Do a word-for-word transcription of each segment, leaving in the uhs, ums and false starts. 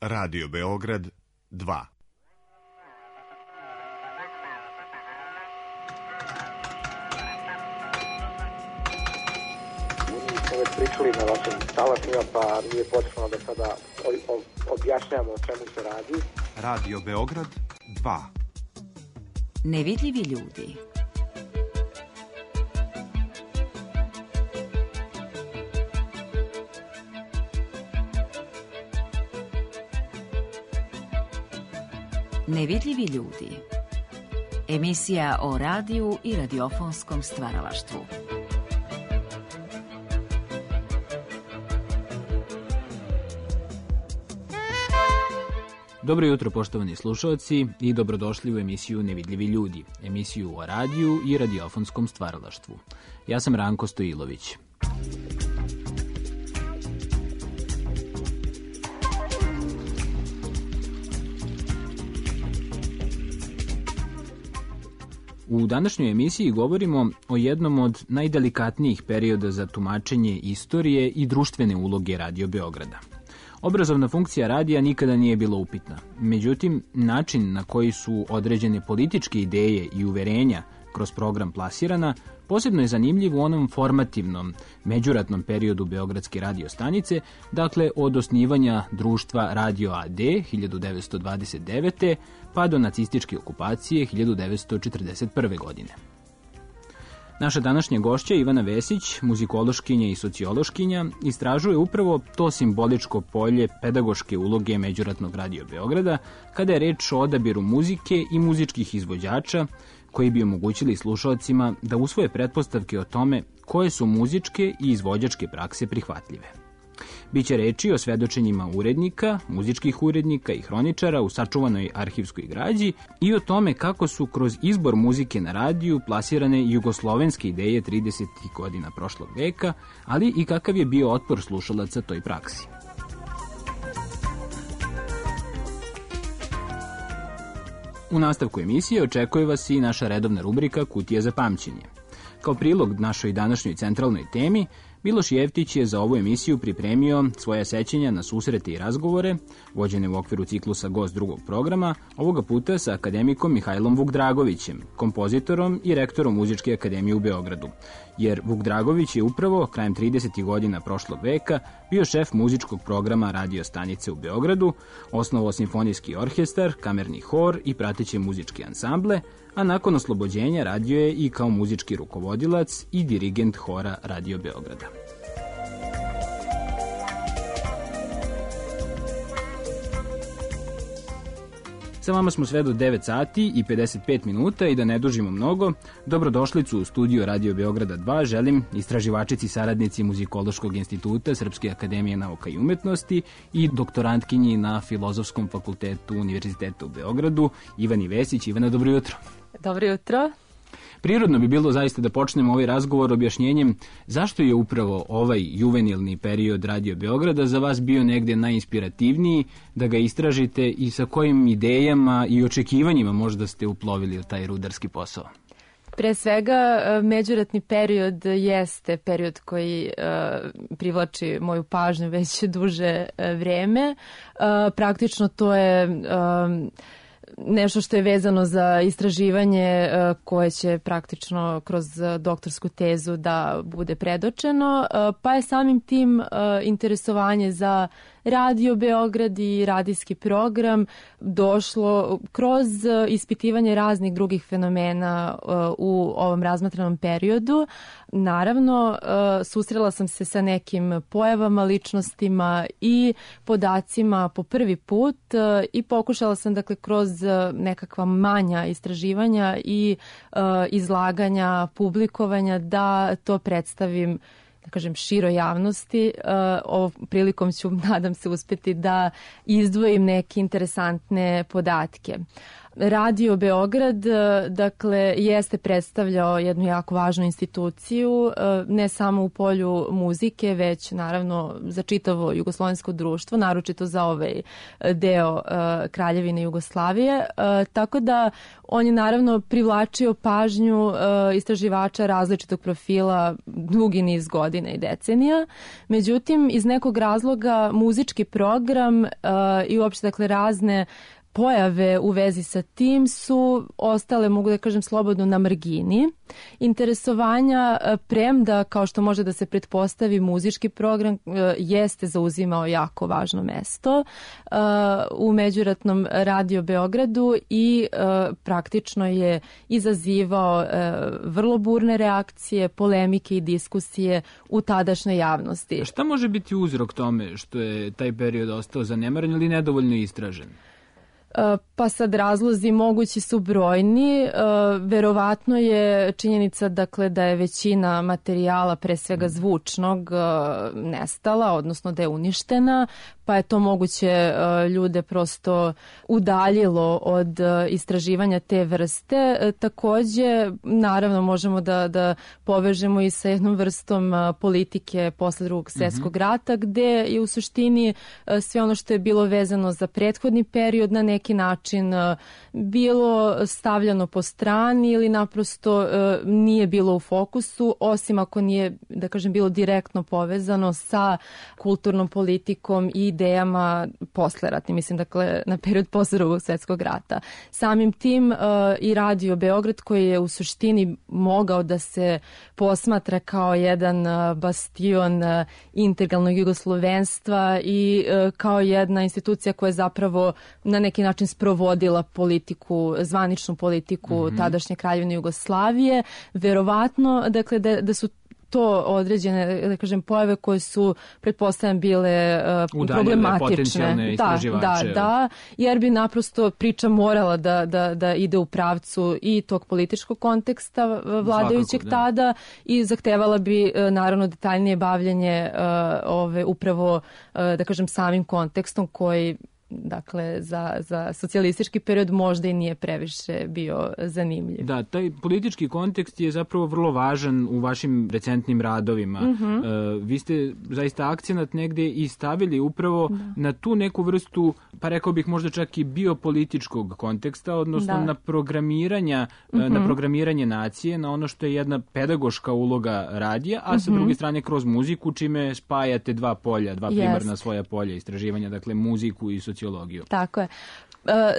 Radio Beograd dva. Mi smo već pričali na vašim talasima, pa nije potrebno da sada objašnjamo o čemu se radi. Radio Beograd dva. Nevidljivi ljudi. Nevidljivi ljudi. Emisija o radiju i radiofonskom stvaralaštvu. Dobro jutro, poštovani slušalci, i dobrodošli u emisiju Nevidljivi ljudi, emisiju o radiju i radiofonskom stvaralaštvu. Ja sam Ranko Stojilović. U današnjoj emisiji govorimo o jednom od najdelikatnijih perioda za tumačenje istorije i društvene uloge Radio Beograda. Obrazovna funkcija radija nikada nije bila upitna. Međutim, način na koji su određene političke ideje i uverenja kroz program plasirana posebno je zanimljiv u onom formativnom, međuratnom periodu Beogradske radio stanice, dakle od osnivanja društva Radio A D hiljadu devetsto dvadeset devete. pa do nacističke okupacije hiljadu devetsto četrdeset prve. godine. Naša današnja gošća Ivana Vesić, muzikološkinja i sociološkinja, istražuje upravo to simboličko polje pedagoške uloge međuratnog Radio Beograda kada je reč o odabiru muzike i muzičkih izvođača koji bi omogućili slušalcima da usvoje pretpostavke o tome koje su muzičke i izvođačke prakse prihvatljive. Biće reči o svedočenjima urednika, muzičkih urednika i hroničara u sačuvanoj arhivskoj građi i o tome kako su kroz izbor muzike na radiju plasirane jugoslovenske ideje tridesetih godina prošlog veka, ali i kakav je bio otpor slušalaca toj praksi. U nastavku emisije očekuje vas i naša redovna rubrika Kutija za pamćenje. Kao prilog našoj današnjoj centralnoj temi, Miloš Jeftić je za ovu emisiju pripremio svoja sećanja na susrete i razgovore, vođene u okviru ciklusa Gost drugog programa, ovoga puta sa akademikom Mihajlom Vukdragovićem, kompozitorom i rektorom Muzičke akademije u Beogradu. Jer Vukdragović je upravo krajem tridesetih godina prošlog veka bio šef muzičkog programa radio stanice u Beogradu, osnovao simfonijski orkestar, kamerni hor i prateće muzičke ansamble, a nakon oslobođenja radio je i kao muzički rukovodilac i dirigent hora Radio Beograda. Sa vama smo sve do devet sati i pedeset pet minuta i da ne dužimo mnogo, dobrodošlicu u studiju Radio Beograda dva želim istraživačici saradnici Muzikološkog instituta Srpske akademije nauka i umetnosti i doktorantkinji na Filozofskom fakultetu Univerziteta u Beogradu, Ivani Vesić. Ivana, dobro jutro. Dobro jutro. Prirodno bi bilo zaista da počnemo ovaj razgovor objašnjenjem zašto je upravo ovaj juvenilni period Radio Beograda za vas bio negde najinspirativniji, da ga istražite i sa kojim idejama i očekivanjima možda ste uplovili u taj rudarski posao. Pre svega, međuratni period jeste period koji uh, privlači moju pažnju već duže uh, vreme. Uh, praktično to je Uh, nešto što je vezano za istraživanje koje će praktično kroz doktorsku tezu da bude predočeno, pa je samim tim interesovanje za Radio Beograd i radijski program došlo kroz ispitivanje raznih drugih fenomena u ovom razmatranom periodu. Naravno, susrela sam se sa nekim pojavama, ličnostima i podacima po prvi put i pokušala sam, dakle, kroz nekakva manja istraživanja i izlaganja, publikovanja da to predstavim, da kažem, široj javnosti. Ovom prilikom ću, nadam se, uspeti da izdvojim neke interesantne podatke. Radio Beograd, dakle, jeste predstavljao jednu jako važnu instituciju, ne samo u polju muzike, već naravno za čitavo jugoslovensko društvo, naročito za ovaj deo Kraljevine Jugoslavije. Tako da on je naravno privlačio pažnju istraživača različitog profila dugi niz godina i decenija. Međutim, iz nekog razloga muzički program i uopšte dakle razne pojave u vezi sa tim su ostale, mogu da kažem slobodno, na margini. Interesovanja, premda, kao što može da se pretpostavi, muzički program jeste zauzimao jako važno mesto u međuratnom Radio Beogradu i praktično je izazivao vrlo burne reakcije, polemike i diskusije u tadašnjoj javnosti. A šta može biti uzrok tome što je taj period ostao zanemaren ili nedovoljno istražen? Pa sad razlozi mogući su brojni. Verovatno je činjenica dakle da je većina materijala, pre svega zvučnog, nestala, odnosno da je uništena, pa je to moguće ljude prosto udaljilo od istraživanja te vrste. Takođe, naravno, možemo da, da povežemo i sa jednom vrstom politike posle Drugog svjetskog rata, gde je u suštini sve ono što je bilo vezano za prethodni period na neki način bilo stavljano po strani ili naprosto nije bilo u fokusu, osim ako nije, da kažem, bilo direktno povezano sa kulturnom politikom i idejama posleratnim, mislim, dakle, na period posle Drugog svjetskog rata. Samim tim uh, i Radio Beograd, koji je u suštini mogao da se posmatra kao jedan uh, bastion uh, integralnog jugoslovenstva i uh, kao jedna institucija koja je zapravo na neki način sprovodila politiku, zvaničnu politiku mm-hmm. tadašnje Kraljevine Jugoslavije, verovatno, dakle, da, da su to određene, da kažem, pojave koje su, pretpostavljam, bile uh, udaljene, problematične. Da, da, da, jer bi naprosto priča morala da, da, da ide u pravcu i tog političkog konteksta vladajućeg Svakako, tada da. I zahtevala bi, uh, naravno, detaljnije bavljenje uh, ove, upravo, uh, da kažem, samim kontekstom koji, dakle, za, za socijalistički period možda i nije previše bio zanimljiv. Da, taj politički kontekst je zapravo vrlo važan u vašim recentnim radovima. Mm-hmm. Uh, vi ste zaista akcenat negde i stavili upravo da. na tu neku vrstu, pa rekao bih možda čak i biopolitičkog konteksta, odnosno da. na programiranja, mm-hmm. na programiranje nacije, na ono što je jedna pedagoška uloga radija, a mm-hmm. sa druge strane kroz muziku, čime spajate dva polja, dva primarna yes. svoja polja istraživanja, dakle muziku i sociologiju. Tako je.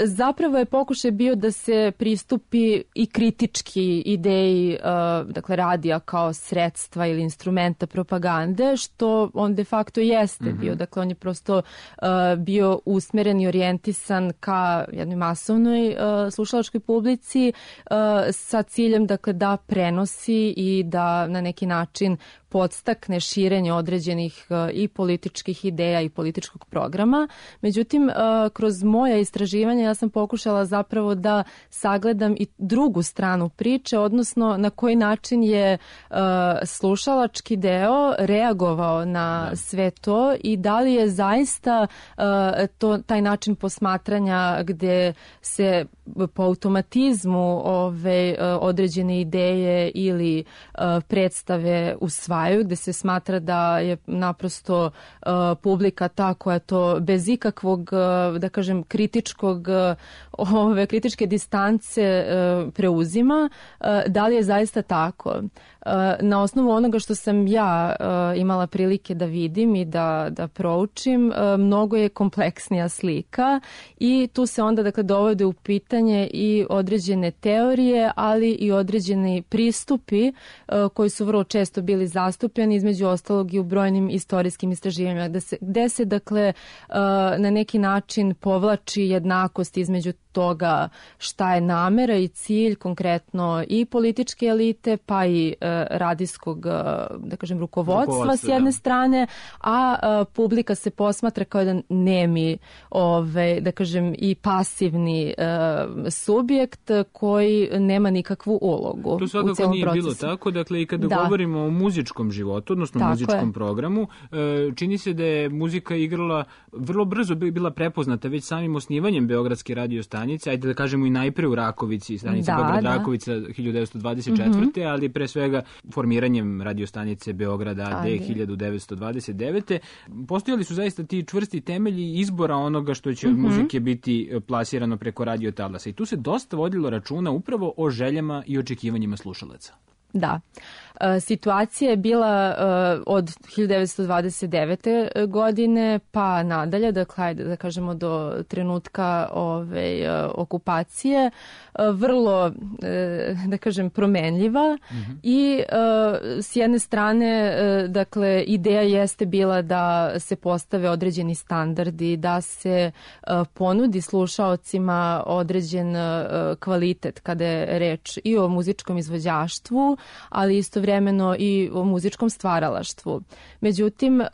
Zapravo je pokušaj bio da se pristupi i kritički ideji, dakle, radija kao sredstva ili instrumenta propagande, što on de facto jeste mm-hmm. bio. Dakle, on je prosto bio usmeren i orijentisan ka jednoj masovnoj slušalačkoj publici sa ciljem, dakle, da prenosi i da na neki način podstakne širenje određenih uh, i političkih ideja i političkog programa. Međutim, uh, kroz moja istraživanja ja sam pokušala zapravo da sagledam i drugu stranu priče, odnosno na koji način je uh, slušalački deo reagovao na da. sve to i da li je zaista uh, to, taj način posmatranja gde se po automatizmu ove određene ideje ili uh, predstave usvajaju, gde se smatra da je naprosto uh, publika ta koja to bez ikakvog, uh, da kažem, kritičkog, uh, ove kritičke distance uh, preuzima. Uh, da li je zaista tako? Uh, na osnovu onoga što sam ja uh, imala prilike da vidim i da, da proučim, uh, mnogo je kompleksnija slika i tu se onda, dakle, dovode u pitanje i određene teorije, ali i određeni pristupi uh, koji su vrlo često bili zastupljeni, između ostalog i u brojnim istorijskim istraživanjima, gde se, gde se dakle, uh, na neki način povlači jednakost između toga šta je namera i cilj konkretno i političke elite, pa i uh, radijskog, uh, da kažem, rukovodstva s jedne da. strane, a uh, publika se posmatra kao jedan nemi, ove, da kažem, i pasivni uh, subjekt koji nema nikakvu ulogu. To svakako u celom nije procesu. Bilo tako, dakle, i kada da. govorimo o muzičkom životu, odnosno tako muzičkom je. programu, uh, čini se da je muzika igrala vrlo brzo bila prepoznata već samim osnivanjem Beogradske radio stanice stanice, ajde da kažemo i najpre u Rakovici, stanica Da, Beograd da. Rakovica hiljadu devetsto dvadeset četvrte. ali pre svega formiranjem radiostanice Beograda A D A D. hiljadu devetsto dvadeset devete. Postojali su zaista ti čvrsti temelji izbora onoga što će od muzike biti plasirano preko radio talasa. I tu se dosta vodilo računa upravo o željama i očekivanjima slušalaca. Da. E, situacija je bila e, od hiljadu devetsto dvadeset devete. godine pa nadalje, dakle, ajde da kažemo do trenutka ove, e, okupacije, e, vrlo, e, da kažem, promenljiva mm-hmm. i e, s jedne strane, e, dakle, ideja jeste bila da se postave određeni standardi, da se e, ponudi slušaocima određen e, kvalitet kada je reč i o muzičkom izvođaštvu, ali istovremeno i o muzičkom stvaralaštvu. Međutim, uh,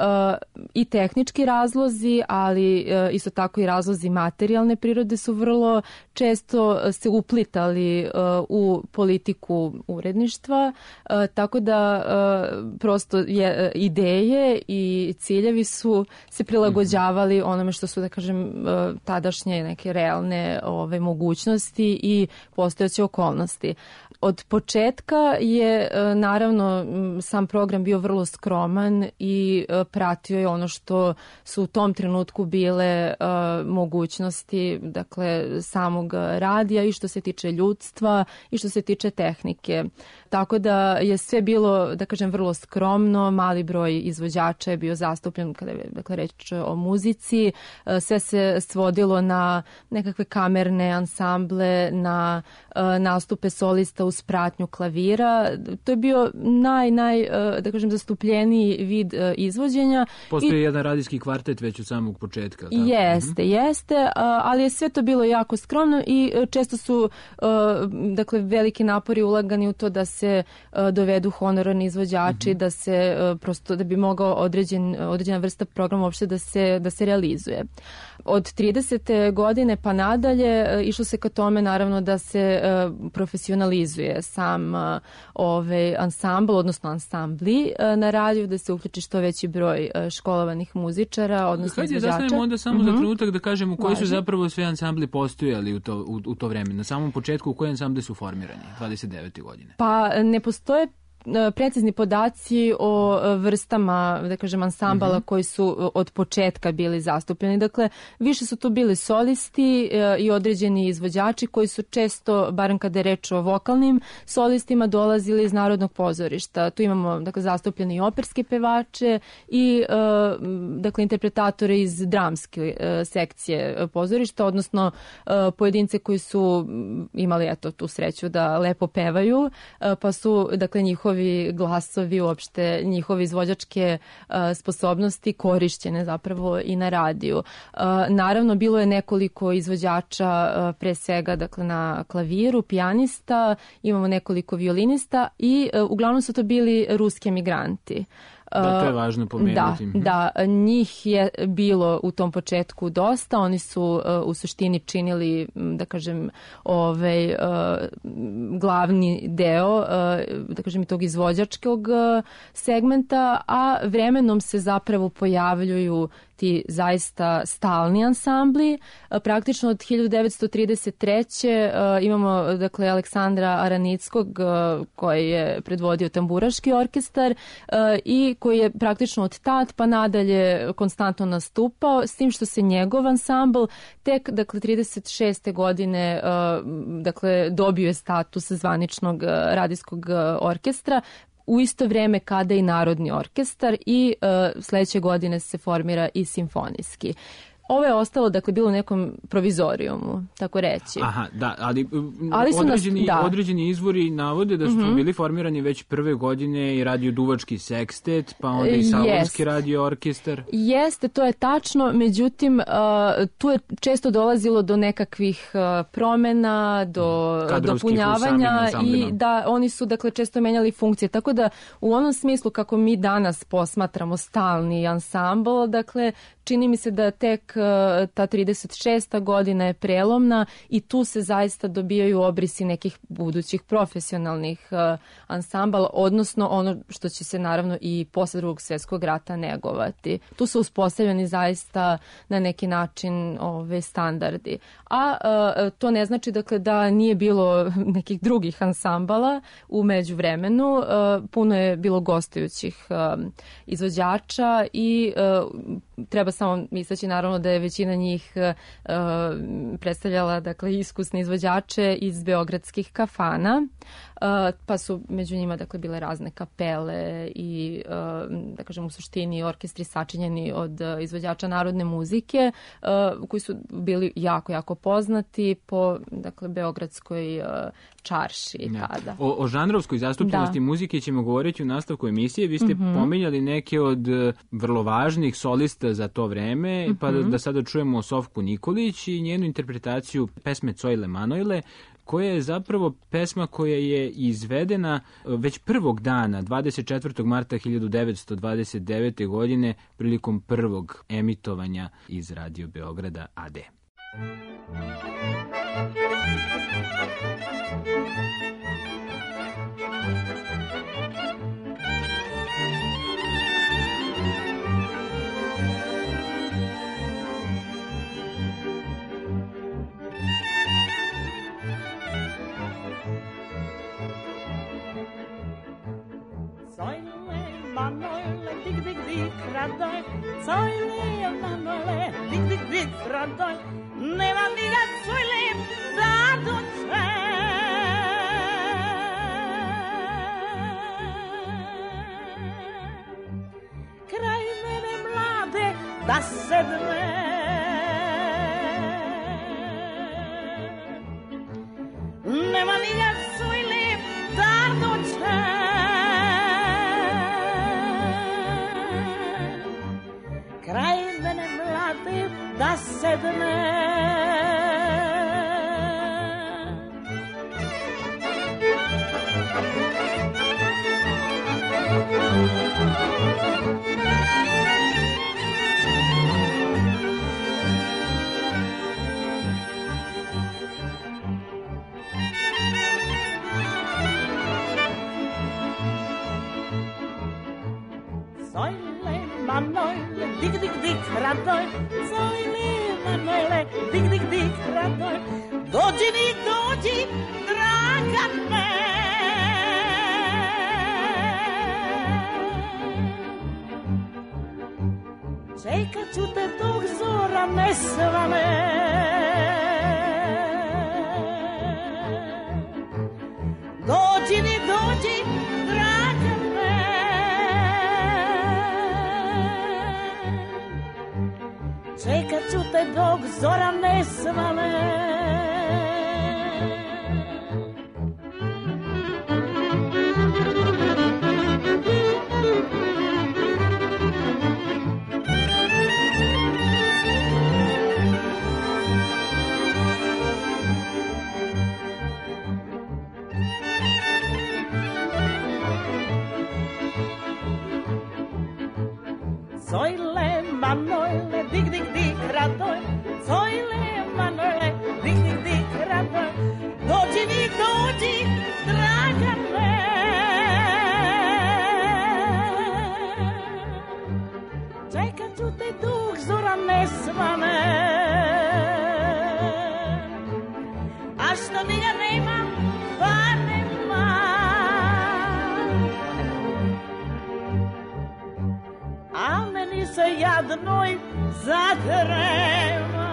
i tehnički razlozi, ali uh, isto tako i razlozi materijalne prirode su vrlo često se uplitali uh, u politiku uredništva, uh, tako da uh, prosto je, ideje i ciljevi su se prilagođavali onome što su, da kažem, uh, tadašnje neke realne ove, mogućnosti i postojeće okolnosti. Od početka je naravno sam program bio vrlo skroman i pratio je ono što su u tom trenutku bile uh, mogućnosti, dakle, samog radija i što se tiče ljudstva i što se tiče tehnike. Tako da je sve bilo, da kažem, vrlo skromno, mali broj izvođača je bio zastupljen kada je, dakle, reč o muzici, uh, sve se svodilo na nekakve kamerne ansamble, na uh, nastupe solista uz pratnju klavira. To je bio naj, naj, da kažem, zastupljeniji vid izvođenja. Postoji I, jedan radijski kvartet već od samog početka. Tako? Jeste, mm-hmm. jeste, ali je sve to bilo jako skromno i često su, dakle, veliki napori ulagani u to da se dovedu honorarni izvođači, mm-hmm. da se prosto, da bi mogao određen, određena vrsta programa uopšte da se, da se realizuje. Od tridesete godine pa nadalje išlo se ka tome, naravno, da se profesionalizuje sam ovaj ansambl, odnosno ansambli na radiju, da se uključi što veći broj školovanih muzičara, odnosno Hajde, izvođača. Hajde, zastavimo onda samo mm-hmm. za trenutak da kažemo koji Važi. su zapravo sve ansambli postojali u to, u, u to vreme. Na samom početku, u koje ansambli su formirani dvadeset devete godine? Pa ne postoje precizni podaci o vrstama, da kažem, ansambala uh-huh. koji su od početka bili zastupljeni. Dakle, više su tu bili solisti i određeni izvođači koji su često, barem kada je reč o vokalnim solistima, dolazili iz Narodnog pozorišta. Tu imamo, dakle, zastupljene i operske pevače i, dakle, interpretatore iz dramske sekcije pozorišta, odnosno pojedince koji su imali, eto, tu sreću da lepo pevaju, pa su, dakle, njihovi glasovi, uopšte njihove izvođačke uh, sposobnosti korišćene zapravo i na radiju. Uh, naravno, bilo je nekoliko izvođača, uh, pre svega, dakle, na klaviru, pijanista, imamo nekoliko violinista i uh, uglavnom su to bili ruski emigranti. Da, to je važno pomenuti. Da, da, njih je bilo u tom početku dosta, oni su uh, u suštini činili, da kažem, ovaj, uh, glavni deo, uh, da kažem, i tog izvođačkog uh, segmenta, a vremenom se zapravo pojavljuju ti zaista stalni ansambli. Praktično od hiljadu devetsto trideset treće. Uh, imamo, dakle, Aleksandra Aranickog uh, koji je predvodio tamburaški orkestar uh, i koji je praktično od tad pa nadalje konstantno nastupao, s tim što se njegov ansambl tek, dakle, trideset šeste godine uh, dakle, dobio je status zvaničnog uh, radijskog uh, orkestra, u isto vreme kada i Narodni orkestar i uh, sledeće godine se formira i simfonijski. Ovo je ostalo, dakle, bilo u nekom provizorijumu, tako reći. Aha, da, ali, ali određeni, nas, da. određeni izvori navode da su mm-hmm. bili formirani već prve godine i radio Duvački sekstet, pa onda i Salonski radio orkestar. Jeste, to je tačno, međutim, uh, tu je često dolazilo do nekakvih uh, promena, do dopunjavanja i da oni su, dakle, često menjali funkcije, tako da u onom smislu kako mi danas posmatramo stalni ansambl, dakle, čini mi se da tek ta trideset šesta godina je prelomna i tu se zaista dobijaju obrisi nekih budućih profesionalnih ansambala, odnosno ono što će se naravno i posle Drugog svjetskog rata negovati. Tu su uspostavljeni zaista na neki način ove standardi. A, a to ne znači dakle da nije bilo nekih drugih ansambala u međuvremenu. A, puno je bilo gostujućih a, izvođača i a, treba samo istaći naravno da je većina njih a, predstavljala dakle iskusne izvođače iz beogradskih kafana, a, pa su među njima dakle bile razne kapele i a, da kažem u suštini orkestri sačinjeni od a, izvođača narodne muzike a, koji su bili jako jako poznati po dakle beogradskoj a, čarši ja. tada. O, o žanrovskoj zastupljenosti da. muzike ćemo govoriti u nastavku emisije. Vi ste mm-hmm. pominjali neke od vrlo važnih solista za to vreme, mm-hmm. pa da, da sada čujemo Sofku Nikolić i njenu interpretaciju pesme Cojle Manojle, koja je zapravo pesma koja je izvedena već prvog dana, dvadeset četvrtog marta hiljadu devetsto dvadeset devete. godine, prilikom prvog emitovanja iz Radio Beograda A D. Manojle, dig, dig, dig, radoj, Cojle, Manojle, dig, dig, dig, radoj, nema mi da Cojle, da dođe. Kraj mene mlade, da sedme, nema mi da Cojle, da dođe. Kraj mene mlade da sedne. Cojle Manojle, dig, dig, dig, radoj, Cojle Manojle, dig, dig, dig, radoj, dođi mi, dođi, draga me. Čekat ću te dok zora ne svane. Dođi mi, dođi, draga me. Čekat ću te dok zora ne svane. Cojle Manojle, dig, dig, dig, radoj, Cojle Manojle, dig, dig, dig, radoj, dođi mi, dođi, draga me. Čekat ću te dok zora ne svane. A što mi ga nema, pa nema. A meni se jadnoj zatrema.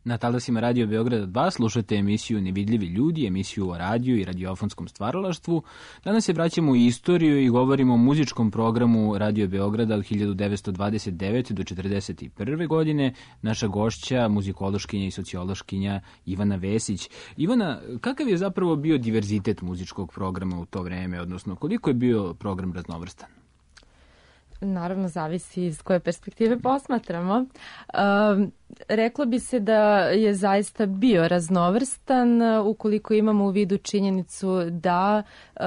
Na talasima Radio Beograda dva slušate emisiju Nevidljivi ljudi, emisiju o radiju i radiofonskom stvaralaštvu. Danas se vraćamo u istoriju i govorimo o muzičkom programu Radio Beograda od hiljadu devetsto dvadeset devete. do četrdeset prve. godine. Naša gošća, muzikološkinja i sociološkinja Ivana Vesić. Ivana, kakav je zapravo bio diverzitet muzičkog programa u to vreme, odnosno koliko je bio program raznovrstan? naravno zavisi iz koje perspektive posmatramo. Um, reklo bi se da je zaista bio raznovrstan ukoliko imamo u vidu činjenicu da uh,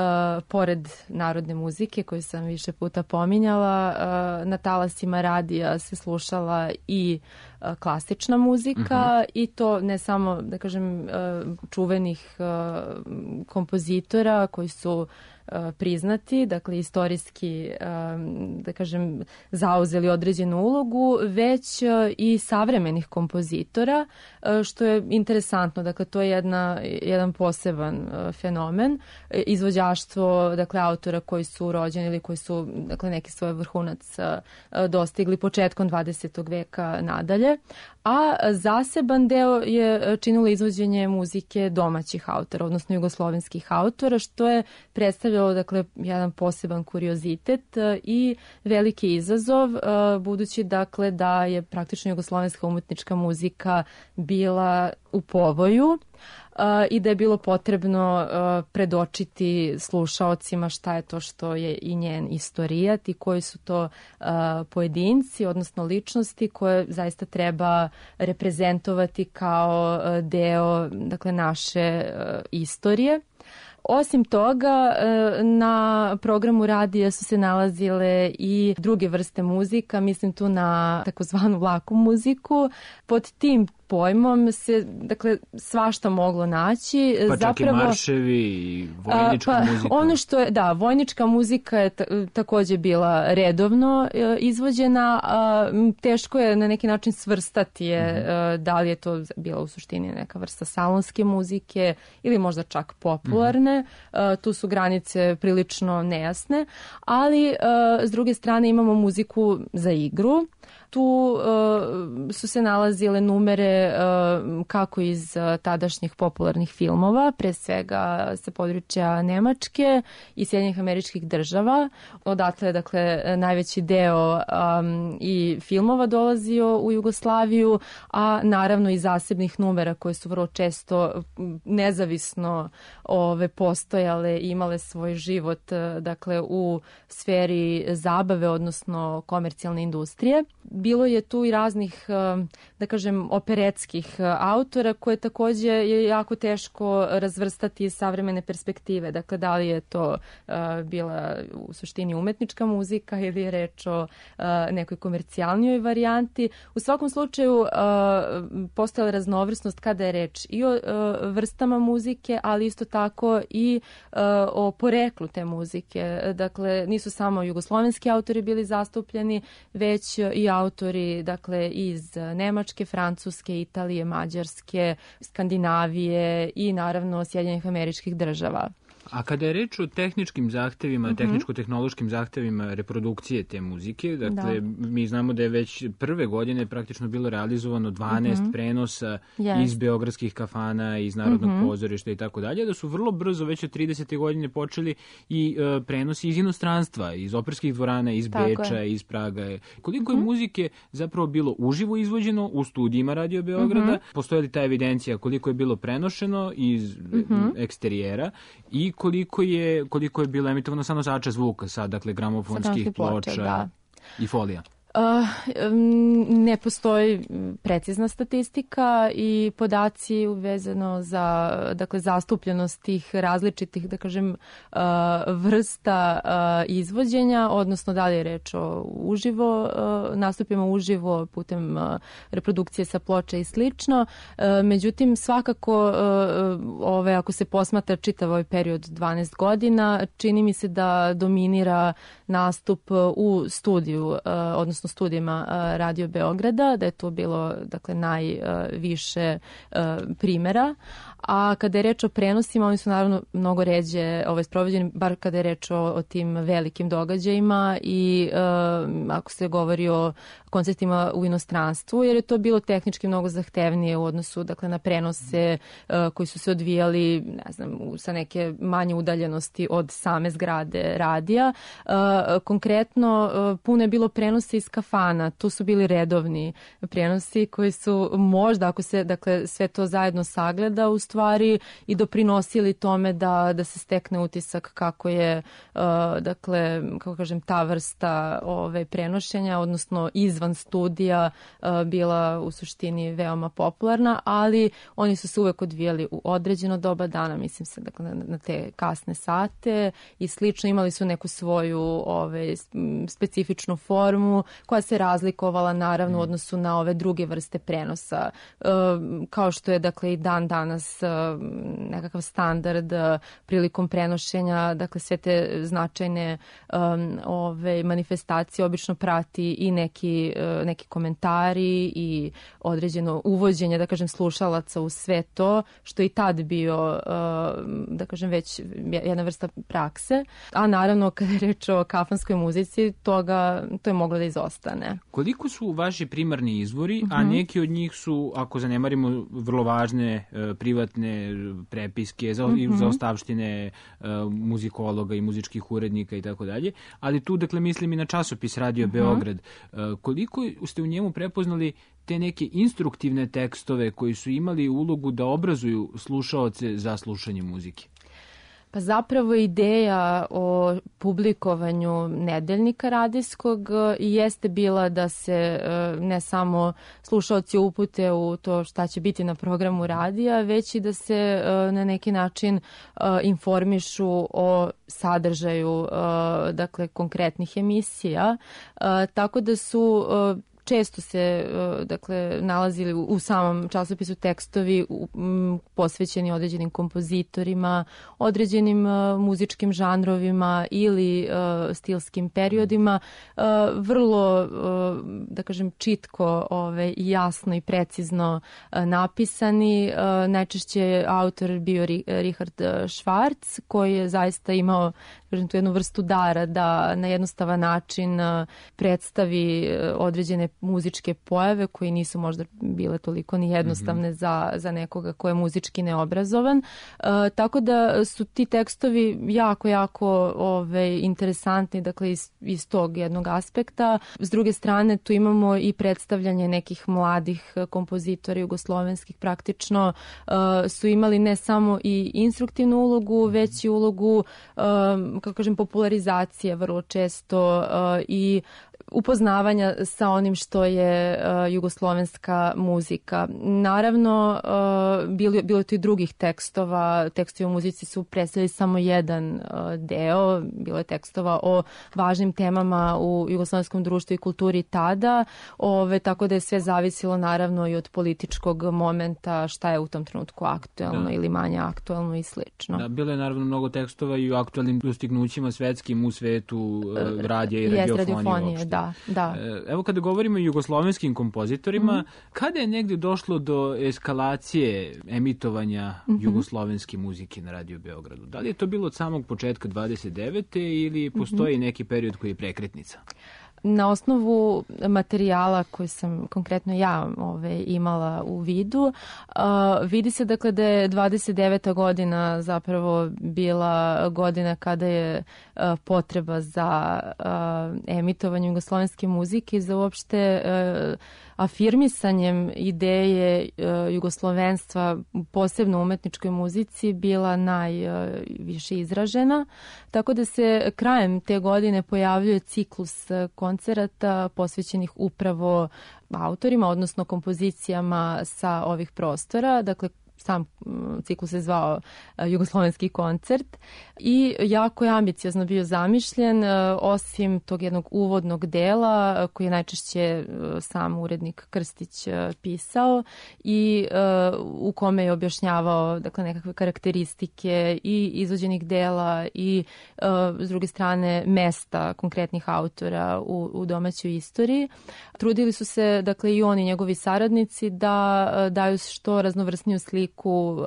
pored narodne muzike koju sam više puta pominjala, uh, na talasima radija se slušala i uh, klasična muzika uh-huh. i to ne samo, da kažem, uh, čuvenih uh, kompozitora koji su priznati, dakle istorijski, da kažem, zauzeli određenu ulogu, već i savremenih kompozitora, što je interesantno. Dakle, to je jedna, jedan poseban fenomen. Izvođaštvo, dakle, autora koji su rođeni ili koji su, dakle, neki svoj vrhunac dostigli početkom dvadesetog veka nadalje, a zaseban deo je činilo izvođenje muzike domaćih autora, odnosno jugoslovenskih autora, što je predstavljalo, dakle, jedan poseban kuriozitet i veliki izazov, budući, dakle, da je praktično jugoslovenska umetnička muzika bila u povoju i da je bilo potrebno predočiti slušaocima šta je to što je i njen istorijat i koji su to pojedinci, odnosno ličnosti koje zaista treba reprezentovati kao deo, dakle, naše istorije. Osim toga, na programu radija su se nalazile i druge vrste muzika, mislim tu na takozvanu laku muziku. Pod tim pojmom se, dakle, svašta moglo naći. Pa čak Zapravo, i marševi i vojnička a, pa, muzika. Ono što je, da, vojnička muzika je ta, također bila redovno e, izvođena. A, teško je na neki način svrstati je, mm-hmm. da li je to bila u suštini neka vrsta salonske muzike ili možda čak popularne. Mm-hmm. A, tu su granice prilično nejasne, ali a, s druge strane imamo muziku za igru. Tu uh, su se nalazile numere uh, kako iz uh, tadašnjih popularnih filmova, pre svega sa područja Nemačke i Sjedinjenih Američkih Država. Odatle je, dakle, najveći deo um, i filmova dolazio u Jugoslaviju, a naravno i zasebnih numera koje su vrlo često nezavisno ove, postojale i imale svoj život, dakle, u sferi zabave, odnosno komercijalne industrije. Bilo je tu i raznih, da kažem, operetskih autora koje također je jako teško razvrstati iz savremene perspektive. Dakle, da li je to uh, bila u suštini umetnička muzika ili je reč o uh, nekoj komercijalnijoj varijanti. U svakom slučaju uh, postojala raznovrsnost kada je reč i o uh, vrstama muzike, ali isto tako i uh, o poreklu te muzike. Dakle, nisu samo jugoslovenski autori bili zastupljeni, već i autori, dakle, iz Nemačke, Francuske, Italije, Mađarske, Skandinavije i naravno Sjedinjenih Američkih Država. A kada je reč o tehničkim zahtevima, mm-hmm. tehničko-tehnološkim zahtevima reprodukcije te muzike, dakle, da. mi znamo da je već prve godine praktično bilo realizovano dvanaest mm-hmm. prenosa yes. iz beogradskih kafana, iz Narodnog mm-hmm. pozorišta i tako dalje, da su vrlo brzo, već od tridesete godine počeli i uh, prenosi iz inostranstva, iz operskih dvorana, iz tako Beča, je. iz Praga. Koliko mm-hmm. je muzike zapravo bilo uživo izvođeno u studijima Radio Beograda, mm-hmm. postoji li ta evidencija koliko je bilo prenošeno iz mm-hmm. eksterijera i koliko je, koliko je bilo emitovano sa nosača zvuka, sa, dakle, gramofonskih ploča, ploča da. i folija? Uh, ne postoji precizna statistika i podaci vezano za, dakle, zastupljenost tih različitih, da kažem, uh, vrsta uh, izvođenja, odnosno da li je reč o uživo, uh, nastupima uživo putem uh, reprodukcije sa ploča i slično. Uh, međutim, svakako, uh, ove, ako se posmatra čitav ovaj period dvanaest godina, čini mi se da dominira nastup u studiju, uh, odnosno studijima Radio Beograda, da je to bilo, dakle, najviše uh, primjera. A kada je reč o prenosima, oni su naravno mnogo ređe ovaj, sprovođeni, bar kada je reč o, o tim velikim događajima i uh, ako se govori o koncertima u inostranstvu, jer je to bilo tehnički mnogo zahtevnije u odnosu, dakle, na prenose uh, koji su se odvijali, ne znam, sa neke manje udaljenosti od same zgrade radija. Uh, konkretno, uh, puno je bilo prenosa iz kafana, tu su bili redovni prijenosi koji su možda, ako se dakle, sve to zajedno sagleda, u stvari i doprinosili tome da, da se stekne utisak kako je, uh, dakle, kako kažem, ta vrsta ove, prenošenja, odnosno izvan studija, uh, bila u suštini veoma popularna, ali oni su se uvek odvijali u određeno doba dana, mislim se, dakle, na, na te kasne sate i slično. Imali su neku svoju ove, specifičnu formu koja se razlikovala naravno u odnosu na ove druge vrste prenosa, uh, kao što je, dakle, i dan danas uh, nekakav standard uh, prilikom prenošenja, dakle, sve te značajne um, ove, manifestacije obično prati i neki, uh, neki komentari i određeno uvođenje, da kažem, slušalaca u sve to, što i tad bio, uh, da kažem, već jedna vrsta prakse. A naravno, kada je reč o kafanskoj muzici, toga, to je moglo da izostane. Koliko su vaši primarni izvori, uh-huh. a neki od njih su, ako zanemarimo, vrlo važne uh, privatne prepiske, za, uh-huh. za ostavštine uh, muzikologa i muzičkih urednika i tako dalje, ali tu, dakle, mislim i na časopis Radio uh-huh. Beograd. Uh, koliko ste u njemu prepoznali te neke instruktivne tekstove koji su imali ulogu da obrazuju slušaoce za slušanje muzike? Pa zapravo ideja o publikovanju nedeljnika radijskog jeste bila da se ne samo slušaoci upute u to šta će biti na programu radija, već i da se na neki način informišu o sadržaju, dakle, konkretnih emisija. Tako da su često se, dakle, nalazili u samom časopisu tekstovi posvećeni određenim kompozitorima, određenim muzičkim žanrovima ili stilskim periodima, vrlo, da kažem, čitko, ove, jasno i precizno napisani. Najčešće je autor bio Richard Schwarz, koji je zaista imao, kažem, tu jednu vrstu dara da na jednostavan način predstavi određene muzičke pojave koji nisu možda bile toliko ni jednostavne mm-hmm. za, za nekoga ko je muzički neobrazovan. E, tako da su ti tekstovi jako, jako ove, interesantni, dakle, iz, iz tog jednog aspekta. S druge strane, tu imamo i predstavljanje nekih mladih kompozitora jugoslovenskih, praktično e, su imali ne samo i instruktivnu ulogu, već i ulogu, e, kako kažem, popularizacije vrlo često e, i upoznavanja sa onim što je uh, jugoslovenska muzika. Naravno, uh, bilo, bilo je tu i drugih tekstova. Tekstovi u muzici su predstavili samo jedan uh, deo. Bilo je tekstova o važnim temama u jugoslovenskom društvu i kulturi tada. Ove, tako da je sve zavisilo naravno i od političkog momenta, šta je u tom trenutku aktuelno da. ili manje aktuelno i slično. Da, bilo je naravno mnogo tekstova i o aktualnim dostignućima svetskim u svetu uh, radija i radiofonije. radiofonije Da, da. Evo, kada govorimo o jugoslovenskim kompozitorima, mm-hmm. kada je negdje došlo do eskalacije emitovanja mm-hmm. jugoslovenske muzike na Radio Beogradu? Da li je to bilo od samog početka dvadeset devete ili postoji mm-hmm. neki period koji je prekretnica? Na osnovu materijala koji sam konkretno ja ove, imala u vidu, uh, vidi se, dakle, da je dvadeset deveta godina zapravo bila godina kada je uh, potreba za uh, emitovanje jugoslovenske muzike i za uopšte uh, afirmisanjem ideje uh, jugoslovenstva, posebno u umetničkoj muzici, bila najviše uh, izražena. Tako da se krajem te godine pojavljuje ciklus uh, koncerata posvećenih upravo autorima, odnosno kompozicijama sa ovih prostora. Dakle, sam ciklus se zvao Jugoslovenski koncert i jako je ambiciozno bio zamišljen, osim tog jednog uvodnog dela koji je najčešće sam urednik Krstić pisao i u kome je objašnjavao, dakle, nekakve karakteristike i izvođenih dela i s druge strane mesta konkretnih autora u, u domaćoj istoriji. Trudili su se, dakle, i oni, njegovi saradnici, da daju što raznovrsniju sliku obliku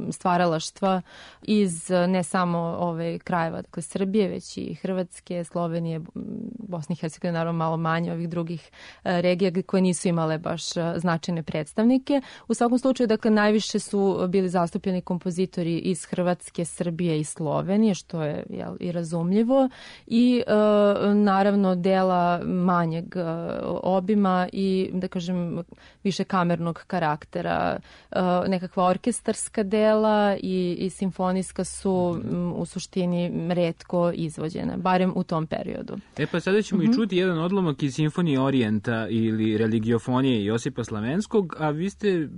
e, stvaralaštva iz ne samo ove krajeva, dakle Srbije, već i Hrvatske, Slovenije, Bosne i Hercegovine, naravno malo manje ovih drugih e, regija koje nisu imale baš značajne predstavnike. U svakom slučaju, dakle, najviše su bili zastupljeni kompozitori iz Hrvatske, Srbije i Slovenije, što je jel, i razumljivo, i e, naravno dela manjeg e, obima i, da kažem, više kamernog karaktera. E, nekakva orkestarska dela i, i simfonijska su m, u suštini retko izvođene, barem u tom periodu. E pa sada ćemo mm-hmm. i čuti jedan odlomak iz Simfonije Orijenta ili Religiofonije Josipa Slavenskog, a vi ste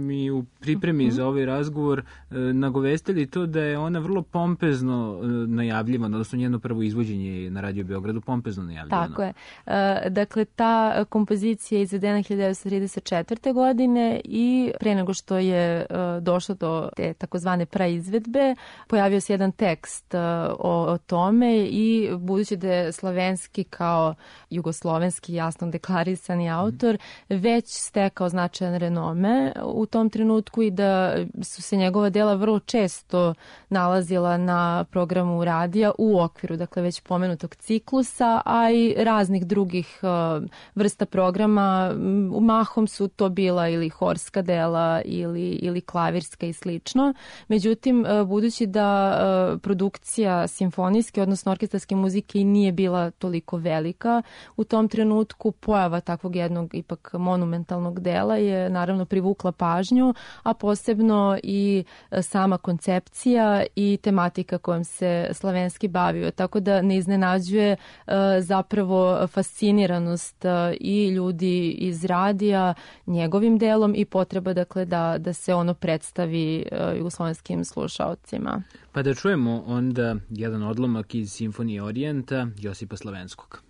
mi u pripremi mm-hmm. za ovaj razgovor e, nagovestili to da je ona vrlo pompezno e, najavljivana, odnosno njeno prvo izvođenje na Radio Beogradu pompezno najavljivano. Tako je. E, dakle, ta kompozicija je izvedena hiljadu devetsto trideset četvrte. godine i pre nego što je e, došlo do te takozvane praizvedbe, pojavio se jedan tekst e, o, o tome i budući da je Slavenski kao jugoslovenski jasno deklarisani autor već stekao značajan renome u tom trenutku i da su se njegova dela vrlo često nalazila na programu radija u okviru, dakle, već pomenutog ciklusa, a i raznih drugih uh, vrsta programa. Mahom su to bila ili horska dela ili, ili klavirska i slično. Međutim, uh, budući da uh, produkcija simfonijske, odnosno orkestarske muzike nije bila toliko velika, u tom trenutku pojava takvog jednog ipak monumentalnog dela je naravno privukla pažnju, a posebno i sama koncepcija i tematika kojom se Slavenski bavio. Tako da ne iznenađuje uh, zapravo fasciniranost uh, i ljudi iz radija njegovim delom i potreba, dakle, da, da se ono predstavi uh, jugoslovenskim slušaocima. Pa da čujemo onda jedan odlomak iz Simfonije Orijenta Josipa Slavenskog.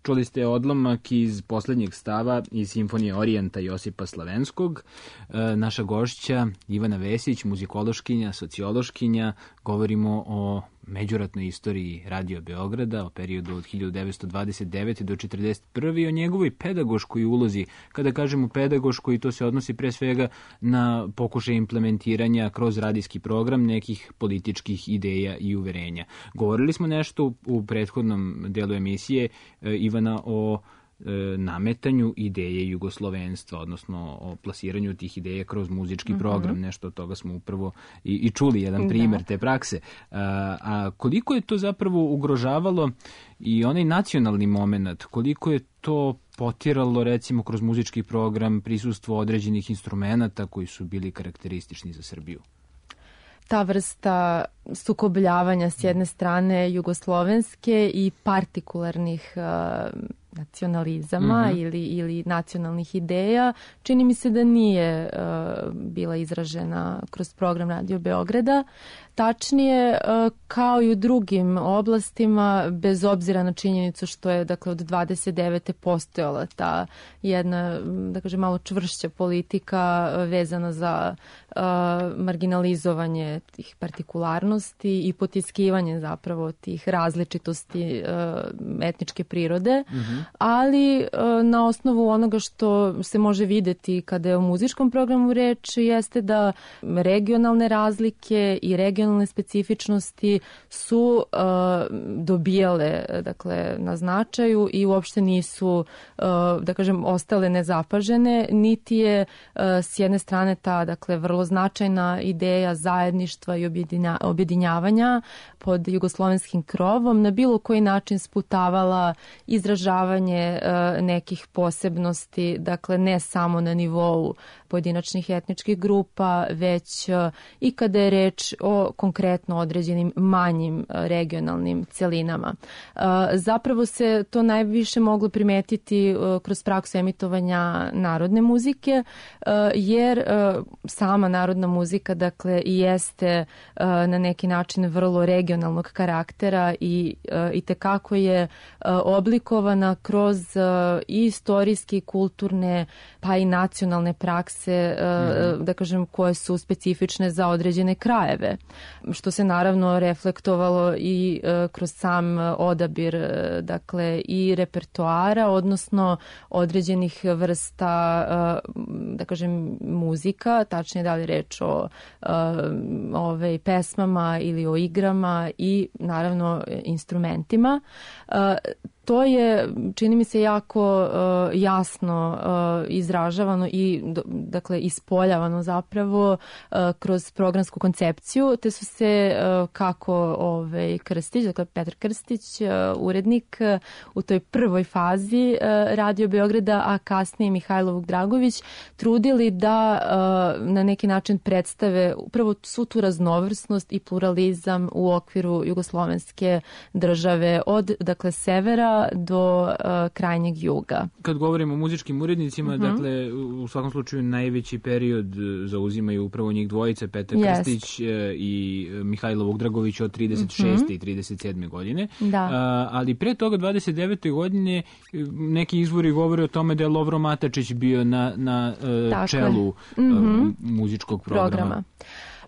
Čuli ste odlomak iz poslednjeg stava iz Simfonije Orijenta Josipa Slavenskog. E, naša gošća Ivana Vesić, muzikološkinja, sociološkinja, govorimo o međuratnoj istoriji Radio Beograda, o periodu od hiljadu devetsto dvadeset devete do četrdeset prve i o njegovoj pedagoškoj ulozi. Kada kažemo pedagoškoj, to se odnosi pre svega na pokušaj implementiranja kroz radijski program nekih političkih ideja i uverenja. Govorili smo nešto u prethodnom delu emisije, Ivana, o nametanju ideje jugoslovenstva, odnosno o plasiranju tih ideja kroz muzički mm-hmm. program. Nešto od toga smo upravo i, i čuli, jedan primjer da. te prakse. A, a koliko je to zapravo ugrožavalo i onaj nacionalni moment, koliko je to potiralo, recimo, kroz muzički program prisustvo određenih instrumenata koji su bili karakteristični za Srbiju? Ta vrsta sukobljavanja s jedne strane jugoslovenske i partikularnih uh, nacionalizama mm-hmm. ili, ili nacionalnih ideja, čini mi se da nije uh, bila izražena kroz program Radio Beograda. Tačnije, uh, kao i u drugim oblastima, bez obzira na činjenicu što je, dakle, od dvadeset devete postojala ta jedna, da kažem, malo čvršća politika vezana za uh, marginalizovanje tih partikularnosti i potiskivanje zapravo tih različitosti uh, etničke prirode, mm-hmm. ali uh, na osnovu onoga što se može videti kada je o muzičkom programu reč, jeste da regionalne razlike i regionalne specifičnosti su uh, dobijale, dakle, na značaju i uopšte nisu, uh, da kažem, ostale nezapažene, niti je uh, s jedne strane ta, dakle, vrlo značajna ideja zajedništva i objedinja, objedinjavanja pod jugoslovenskim krovom na bilo koji način sputavala izražavanje uh, nekih posebnosti, dakle, ne samo na nivou pojedinačnih etničkih grupa, već uh, i kada je reč o konkretno određenim manjim regionalnim celinama. Zapravo se to najviše moglo primetiti kroz praksu emitovanja narodne muzike, jer sama narodna muzika, dakle, i jeste na neki način vrlo regionalnog karaktera i i tekako je oblikovana kroz i istorijske, kulturne, pa i nacionalne prakse, mm-hmm. da kažem, koje su specifične za određene krajeve, što se naravno reflektovalo i uh, kroz sam odabir, uh, dakle, i repertoara, odnosno određenih vrsta, uh, da kažem, muzika, tačnije da li reč o uh, ove, pesmama ili o igrama i naravno instrumentima. Uh, To je, čini mi se, jako uh, jasno uh, izražavano i, dakle, ispoljavano zapravo uh, kroz programsku koncepciju, te su se uh, kako ovaj, Krstić, dakle Petar Krstić, uh, urednik uh, u toj prvoj fazi uh, Radio Beograda, a kasnije Mihajlo Dragović, trudili da uh, na neki način predstave upravo svu tu raznovrsnost i pluralizam u okviru jugoslovenske države, od, dakle, severa do uh, krajnjeg juga. Kad govorimo o muzičkim urednicima, uh-huh. dakle, u svakom slučaju najveći period zauzimaju upravo njih dvojice, Petar yes. Krstić i Mihajlo Vugdragović od trideset šeste Uh-huh. i trideset sedme godine. Da. Uh, ali pre toga, dvadeset devete godine, neki izvori govore o tome da je Lovro Matačić bio na, na uh, čelu uh-huh. muzičkog programa. programa.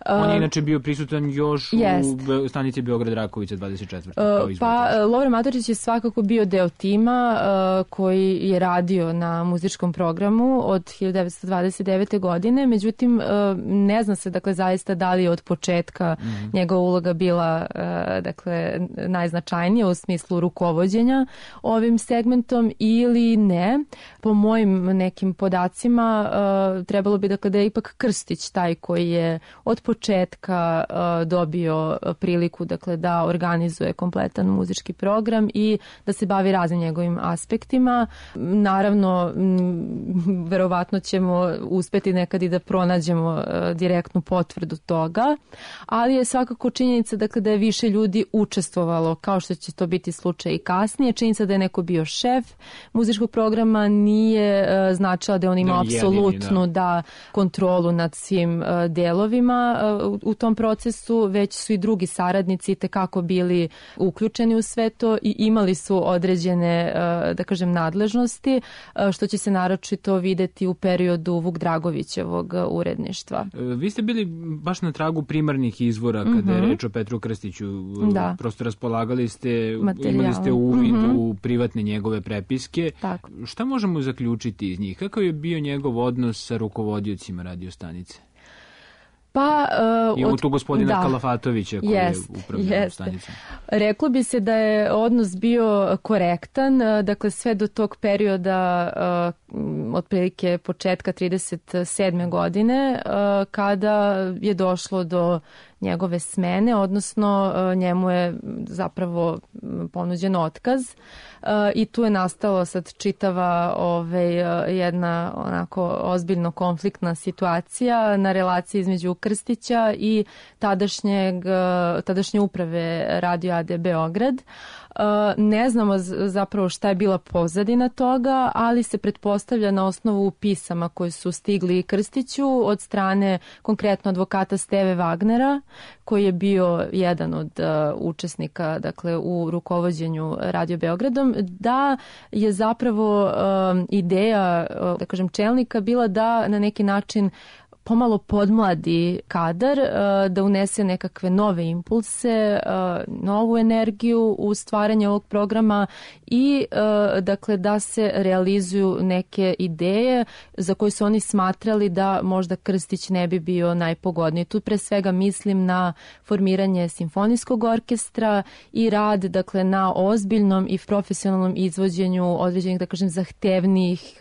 On je inače bio prisutan još jest. u stanici Beograd Rakovica dvadeset četvrte Uh, pa Lovro Matačić je svakako bio deo tima uh, koji je radio na muzičkom programu od hiljadu devetsto dvadeset devete godine. Međutim, uh, ne zna se, dakle, zaista da li je od početka mm-hmm. njegova uloga bila uh, dakle, najznačajnija u smislu rukovođenja ovim segmentom ili ne. Po mojim nekim podacima uh, trebalo bi, dakle, da je ipak Krstić taj koji je od početka uh, dobio priliku, dakle, da organizuje kompletan muzički program i da se bavi raznim njegovim aspektima. Naravno, m, verovatno ćemo uspeti nekad i da pronađemo uh, direktnu potvrdu toga, ali je svakako činjenica, dakle, da je više ljudi učestvovalo, kao što će to biti slučaj i kasnije. Činjenica da je neko bio šef muzičkog programa nije uh, značila da on ima da, apsolutnu da. da kontrolu nad svim uh, delovima u tom procesu, već su i drugi saradnici tekako bili uključeni u sve to i imali su određene, da kažem, nadležnosti, što će se naročito videti u periodu Vuk Dragovićevog uredništva. Vi ste bili baš na tragu primarnih izvora kada mm-hmm. je reč o Petru Krstiću. Da. Prosto raspolagali ste, materijalom. Imali ste uvid mm-hmm. u privatne njegove prepiske. Tako. Šta možemo zaključiti iz njih? Kakav je bio njegov odnos sa rukovodiocima radiostanice? Pa, uh, I od tu gospodina da, Kalafatovića koji jest, je upravljao stanicom. Reklo bi se da je odnos bio korektan, dakle sve do tog perioda uh, otprilike početka trideset sedme godine uh, kada je došlo do njegove smene, odnosno uh, njemu je zapravo ponuđen otkaz uh, i tu je nastalo sad čitava ovaj, uh, jedna onako ozbiljno konfliktna situacija na relaciji između Krstića i tadašnjeg, uh, tadašnje uprave Radio A D Beograd. Uh, ne znamo zapravo šta je bila pozadina toga, ali se pretpostavlja na osnovu pisama koji su stigli Krstiću od strane konkretno advokata Steve Wagnera, koji je bio jedan od uh, učesnika, dakle, u rukovođenju Radio Beogradom, da je zapravo uh, ideja, uh, da kažem, čelnika bila da na neki način pomalo podmladi kadar, da unese nekakve nove impulse, novu energiju u stvaranje ovog programa i dakle da se realizuju neke ideje za koje su oni smatrali da možda Krstić ne bi bio najpogodniji. Tu pre svega mislim na formiranje simfonijskog orkestra i rad, dakle, na ozbiljnom i profesionalnom izvođenju određenih, da kažem, zahtevnijih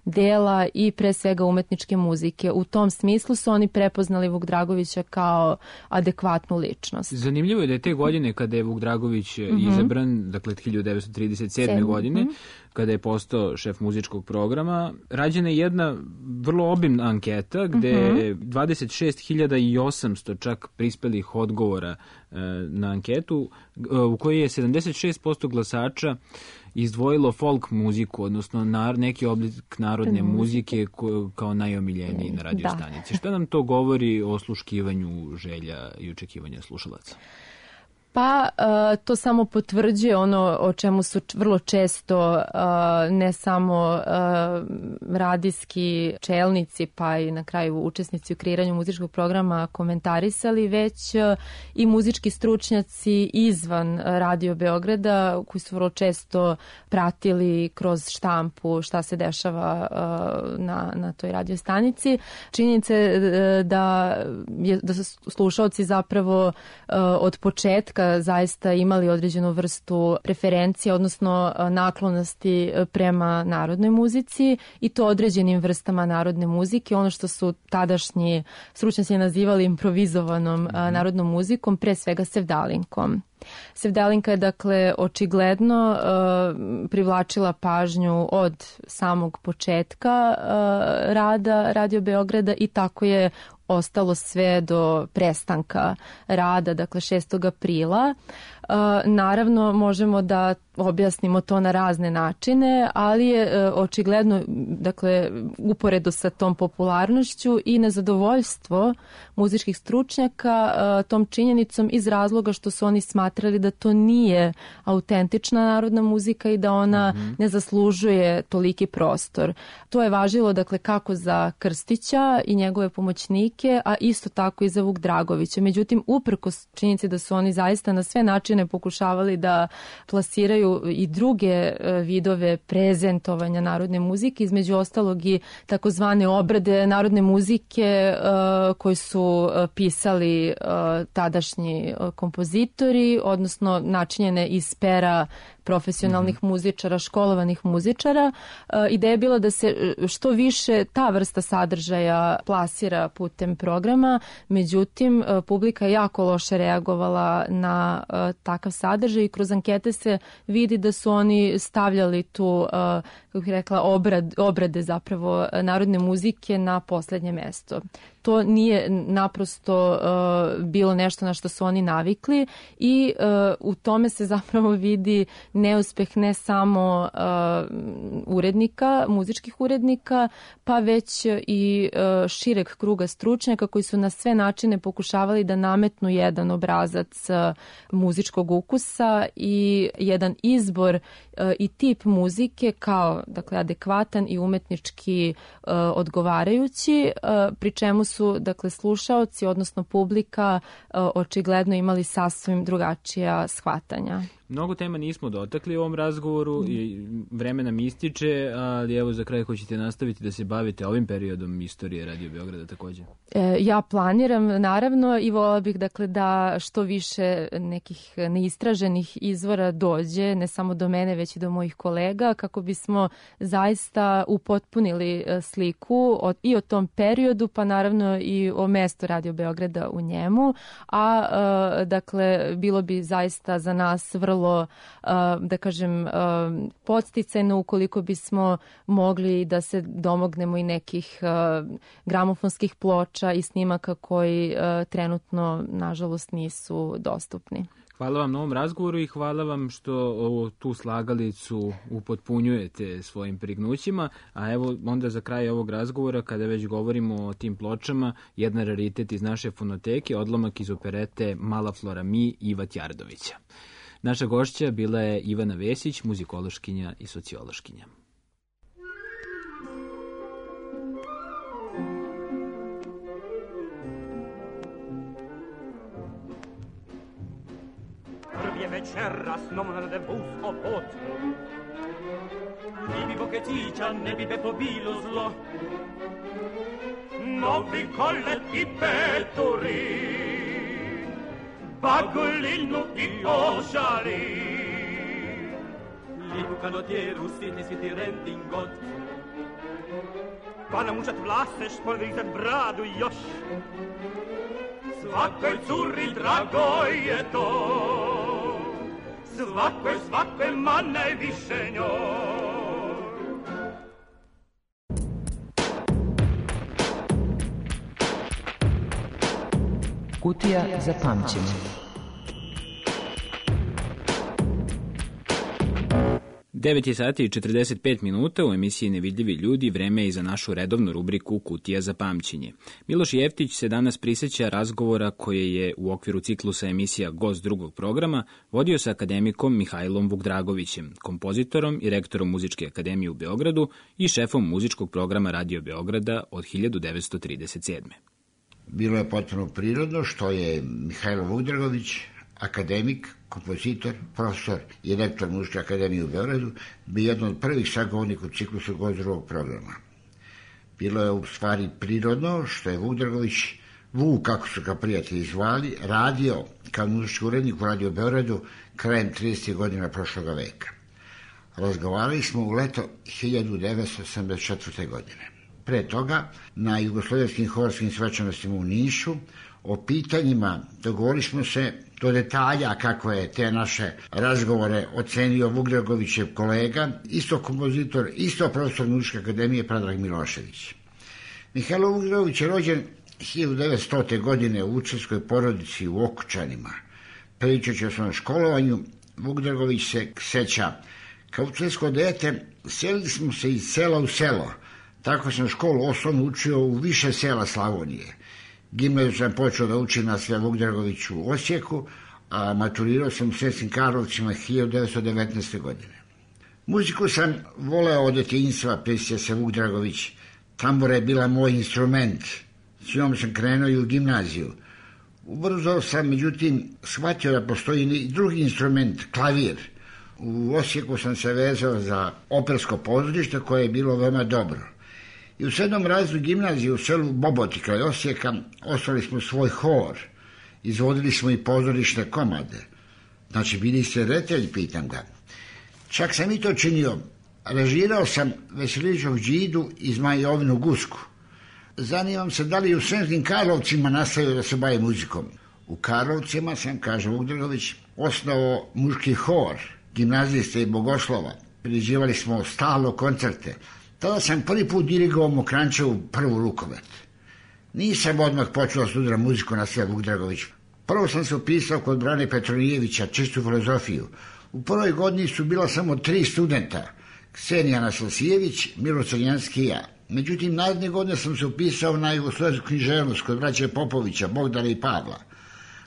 dela i pre svega umetničke muzike. U tom smislu su oni prepoznali Vuk Dragovića kao adekvatnu ličnost. Zanimljivo je da je te godine kada je Vuk Dragović mm-hmm. izabran, dakle hiljadu devetsto trideset sedme. godine, mm-hmm. kada je postao šef muzičkog programa, rađena je jedna vrlo obimna anketa gde je mm-hmm. dvadeset šest hiljada osamsto čak prispelih odgovora e, na anketu e, u kojoj je sedamdeset šest posto glasača izdvojilo folk muziku, odnosno nar, neki oblik narodne mm. muzike ko, kao najomiljeniji na radiostanici. Da. Šta nam to govori o osluškivanju želja i očekivanja slušalaca? Pa to samo potvrđuje ono o čemu su vrlo često ne samo radijski čelnici pa i na kraju učesnici u kreiranju muzičkog programa komentarisali, već i muzički stručnjaci izvan Radio Beograda koji su vrlo često pratili kroz štampu šta se dešava na, na toj radiostanici. Činjenica je da, je, da su slušaoci zapravo od početka zaista imali određenu vrstu preferencije, odnosno naklonosti prema narodnoj muzici i to određenim vrstama narodne muzike, ono što su tadašnji stručnjaci nazivali improvizovanom mm-hmm. narodnom muzikom, pre svega sevdalinkom. Sevdalinka je, dakle, očigledno uh, privlačila pažnju od samog početka uh, rada Radio Beograda i tako je ostalo sve do prestanka rada, dakle šestog aprila. Uh, naravno, možemo da objasnimo to na razne načine, ali je uh, očigledno, dakle, uporedo sa tom popularnošću i nezadovoljstvo muzičkih stručnjaka uh, tom činjenicom iz razloga što su oni smatrali da to nije autentična narodna muzika i da ona mm-hmm. ne zaslužuje toliki prostor. To je važilo, dakle, kako za Krstića i njegove pomoćnike, a isto tako i za Vuk Dragovića. Međutim, uprkos činjenici da su oni zaista na sve načine pokušavali da plasiraju i druge vidove prezentovanja narodne muzike, između ostalog i takozvane obrade narodne muzike uh, koji su pisali uh, tadašnji kompozitori, odnosno načinjene iz pera profesionalnih mm-hmm. muzičara, školovanih muzičara. Uh, ideja je bila da se što više ta vrsta sadržaja plasira putem programa, međutim uh, publika je jako loše reagovala na uh, takav sadržaj i kroz ankete se vidi da su oni stavljali tu, uh, kako bih rekla, obrad, obrade zapravo narodne muzike na poslednje mesto. to nije naprosto uh, bilo nešto na što su oni navikli i uh, u tome se zapravo vidi neuspeh ne samo uh, urednika, muzičkih urednika, pa već i uh, šireg kruga stručnjaka koji su na sve načine pokušavali da nametnu jedan obrazac uh, muzičkog ukusa i jedan izbor uh, i tip muzike kao, dakle, adekvatan i umetnički uh, odgovarajući, uh, pri čemu su, dakle, slušaoci, odnosno publika, uh, očigledno imali sasvim drugačija shvatanja. Mnogo tema nismo dotakli u ovom razgovoru mm. i vreme nam ističe, ali evo za kraj hoćete nastaviti da se bavite ovim periodom istorije Radio Beograda također? E, ja planiram, naravno, i volila bih, dakle, da što više nekih neistraženih izvora dođe, ne samo do mene, već i do mojih kolega, kako bismo zaista upotpunili sliku o, i o tom periodu, pa naravno i o mestu Radio Beograda u njemu, a, a dakle, bilo bi zaista za nas vrlo da kažem, podsticajno ukoliko bismo mogli da se domognemo i nekih gramofonskih ploča i snimaka koji trenutno, nažalost, nisu dostupni. Hvala vam na ovom razgovoru i hvala vam što ovo, tu slagalicu upotpunjujete svojim prignućima, a evo onda za kraj ovog razgovora, kada već govorimo o tim pločama, jedna raritet iz naše fonoteke, odlomak iz operete Mala Flora Mi Iva Tjardovića. Naša gošća bila je Ivana Vesić, muzikološkinja i sociološkinja. Prvi večeras non rendezvous o pot. I vivo che ticcia ne bi bepo bilo zlo. Novi collet i pettori. Bagolino i ošari. Lijepu kanotjeru sitni si ti rentingot. Pa namučat vlase špolvizat bradu još. Svakoj curi drago je to. Svakoj, svakoj, ma najviše njoj. Kutija za pamćenje. devet je sati i četrdeset pet minuta, u emisiji Nevidljivi ljudi vreme je i za našu redovnu rubriku Kutija za pamćenje. Miloš Jeftić se danas prisjeća razgovora koje je u okviru ciklusa emisija Gost drugog programa vodio sa akademikom Mihajlom Vukdragovićem, kompozitorom i rektorom Muzičke akademije u Beogradu i šefom muzičkog programa Radio Beograda od hiljadu devetsto trideset sedme. Bilo je potpuno prirodno što je Mihajlo Vukdragović, akademik, kompozitor, profesor i rektor Muzičke akademije u Beogradu, bio jedan od prvih sagovornika u ciklusu Gost drugog programa. Bilo je u stvari prirodno što je Vukdragović, Vuk, kako su ga prijatelji zvali, radio kao muzički urednik u Radio Beogradu krajem tridesetih godina prošloga veka. Razgovarali smo u leto hiljadu devetsto osamdeset četvrte. godine. Pre toga, na jugoslovenskim horskim svečanostima u Nišu, o pitanjima dogovorili smo se do detalja kako je te naše razgovore ocenio Vukdragovićev kolega, isto kompozitor, isto profesor Muzičke akademije Predrag Milošević. Mihajlo Vukdragović je rođen hiljadu devetstote. godine u učenskoj porodici u Okučanima. Pričajući o svom školovanju, Vukdragović se seća: kao učensko dete selili smo se iz sela u selo. Tako sam školu osnovno učio u više sela Slavonije. Gimnaziju sam počeo da učim na Sve Vukdragoviću u Osijeku, a maturirao sam u Sremskim Karlovcima hiljadu devetsto devetnaeste. godine. Muziku sam voleo od djetinjstva, prisjeća se Vukdragović. Tambura je bila moj instrument. S njom sam krenuo i u gimnaziju. Ubrzo sam, međutim, shvatio da postoji i drugi instrument, klavir. U Osijeku sam se vezao za opersko pozorište koje je bilo veoma dobro. I u sedmom razredu gimnazije u selu Boboti kraj Osijeka osnovali smo svoj hor. Izvodili smo i pozorišne komade. Znači, bili ste reditelj, pitam ga. Čak sam i to činio. Režirao sam Veselinovićev Đidu i Zmajovinu Gusku. Zanimam se da li u Sremskim Karlovcima nastavio da se bavi muzikom. U Karlovcima sam, kaže Vukdragović, osnovao muški hor, gimnaziste i bogoslova. Priređivali smo stalno koncerte. Tada sam prvi put dirigovao Mokrančevu prvu rukomet. Nisam odmah počeo studiram muziku na sve Vuk Dragović. Prvo sam se upisao kod Brane Petronijevića, čistu filozofiju. U prvoj godini su bila samo tri studenta, Ksenija Nasosijević, Milo Crnjanski i ja. Međutim, naredne godine sam se upisao na jugoslovensku književnost kod braće Popovića, Bogdana i Pavla.